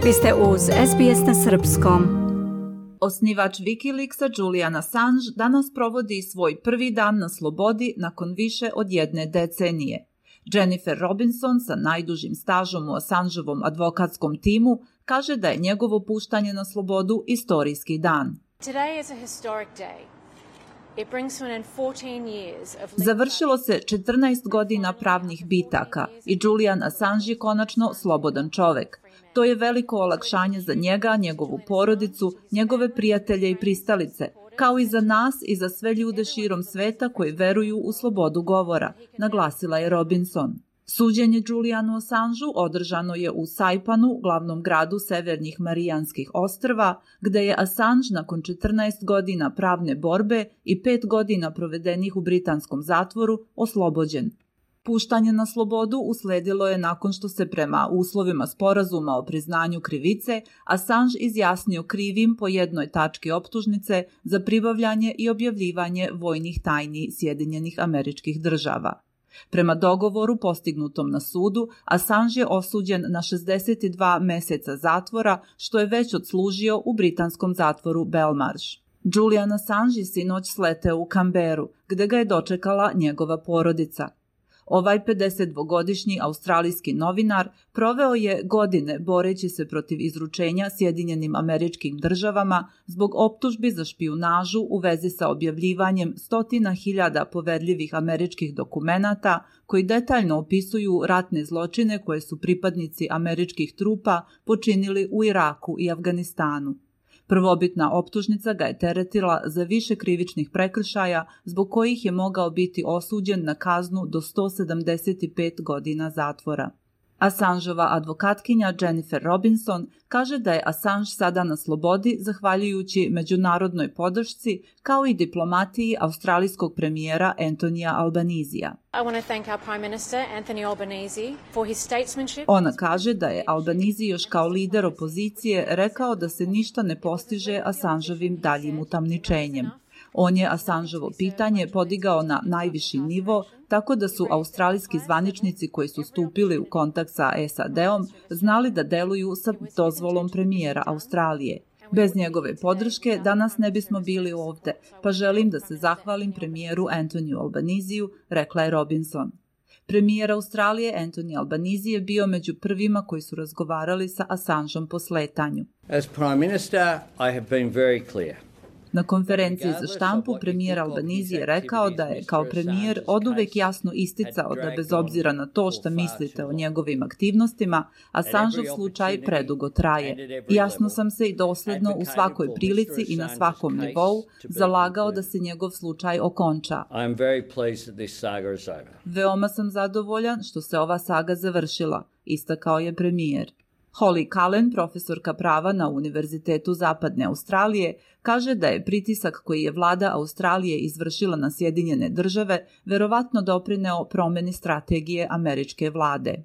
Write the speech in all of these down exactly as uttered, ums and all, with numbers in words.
Vi ste uz S B S na srpskom. Osnivač Wikileaksa Julian Assange danas provodi svoj prvi dan na slobodi nakon više od jedne decenije. Jennifer Robinson sa najdužim stažom u Assangeovom advokatskom timu kaže da je njegovo puštanje na slobodu istorijski dan. Today is a historic day. It brings to an end fourteen years of Završilo se četrnaest godina pravnih bitaka i Julian Assange je konačno slobodan čovek. To je veliko olakšanje za njega, njegovu porodicu, njegove prijatelje i pristalice, kao i za nas i za sve ljude širom sveta koji veruju u slobodu govora, naglasila je Robinson. Suđenje Julianu Assangeu održano je u Saipanu, glavnom gradu Severnih Marijanskih ostrva, gde je Assange nakon četrnaest godina pravne borbe i pet godina provedenih u britanskom zatvoru oslobođen. Puštanje na slobodu usledilo je nakon što se prema uslovima sporazuma o priznanju krivice Assange izjasnio krivim po jednoj tački optužnice za pribavljanje i objavljivanje vojnih tajni Sjedinjenih Američkih Država. Prema dogovoru postignutom na sudu, Assange je osuđen na šezdeset dva meseca zatvora, što je već odslužio u britanskom zatvoru Belmarsh. Julian Assange je sinoć sleteo u Canberu, gde ga je dočekala njegova porodica. Ovaj pedesetdvogodišnji australijski novinar proveo je godine boreći se protiv izručenja Sjedinjenim Američkim Državama zbog optužbi za špijunažu u vezi sa objavljivanjem stotina hiljada poverljivih američkih dokumenata koji detaljno opisuju ratne zločine koje su pripadnici američkih trupa počinili u Iraku i Afganistanu. Prvobitna optužnica ga je teretila za više krivičnih prekršaja zbog kojih je mogao biti osuđen na kaznu do sto sedamdeset pet godina zatvora. Assangeova advokatkinja Jennifer Robinson kaže da je Assange sada na slobodi zahvaljujući međunarodnoj podršci kao i diplomatiji australijskog premijera Antonija Albanisija. I want to thank our Prime Minister Anthony Albanese for his statesmanship. Ona kaže da je Albanese još kao lider opozicije rekao da se ništa ne postiže Assangeovim daljim utamničenjem. On je Assangeovo pitanje podigao na najviši nivo, tako da su australijski zvaničnici koji su stupili u kontakt sa S A D-om znali da deluju sa dozvolom premijera Australije. Bez njegove podrške danas ne bismo bili ovde, pa želim da se zahvalim premijeru Antoniju Albanisiju, rekla je Robinson. Premijer Australije Anthony Albanese je bio među prvima koji su razgovarali sa Assangeom po sletanju. As Prime Minister, I have been very clear. Na konferenciji za štampu premijer Albanese je rekao da je kao premijer oduvek jasno isticao da bez obzira na to šta mislite o njegovim aktivnostima, Assangeov slučaj predugo traje. Jasno sam se i dosledno u svakoj prilici i na svakom nivou zalagao da se njegov slučaj okonča. Veoma sam zadovoljan što se ova saga završila, istakao je premijer. Holly Cullen, profesorka prava na Univerzitetu Zapadne Australije, kaže da je pritisak koji je vlada Australije izvršila na Sjedinjene Države verovatno doprineo promeni strategije američke vlade.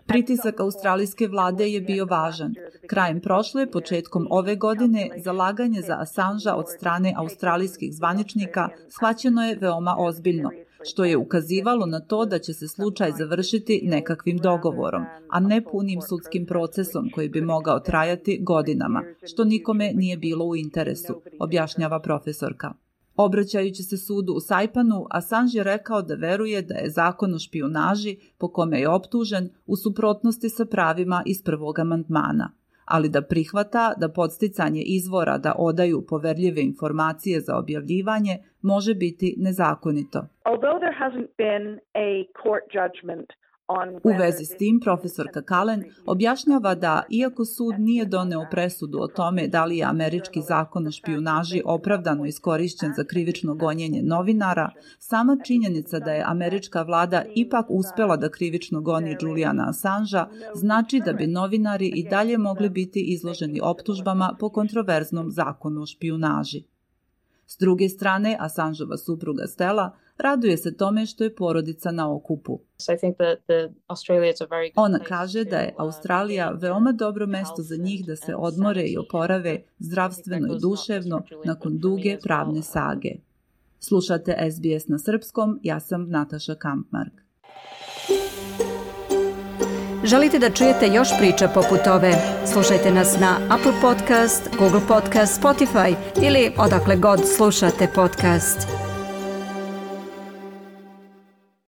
Pritisak australijske vlade je bio važan. Krajem prošle, početkom ove godine, zalaganje za Assangea od strane australijskih zvaničnika shvaćeno je veoma ozbiljno, što je ukazivalo na to da će se slučaj završiti nekakvim dogovorom, a ne punim sudskim procesom koji bi mogao trajati godinama, što nikome nije bilo u interesu, objašnjava profesorka. Obraćajući se sudu u Saipanu, Assange je rekao da veruje da je zakon o špijunaži po kome je optužen u suprotnosti sa pravima iz prvog amandmana, ali da prihvata da podsticanje izvora da odaju poverljive informacije za objavljivanje može biti nezakonito. U vezi s tim, profesorka Cullen objašnjava da, iako sud nije doneo presudu o tome da li je američki zakon o špijunaži opravdano iskorišćen za krivično gonjenje novinara, sama činjenica da je američka vlada ipak uspela da krivično goni Juliana Assangea znači da bi novinari i dalje mogli biti izloženi optužbama po kontroverznom zakonu o špijunaži. S druge strane, Assangeova supruga Stella raduje se tome što je porodica na okupu. Ona kaže da je Australija veoma dobro mesto za njih da se odmore i oporave zdravstveno i duševno nakon duge pravne sage. Slušate S B S na srpskom, ja sam Nataša Kampmark. Želite da čujete još priča poput ove? Slušajte nas na Apple Podcast, Google Podcast, Spotify ili odakle god slušate podcast.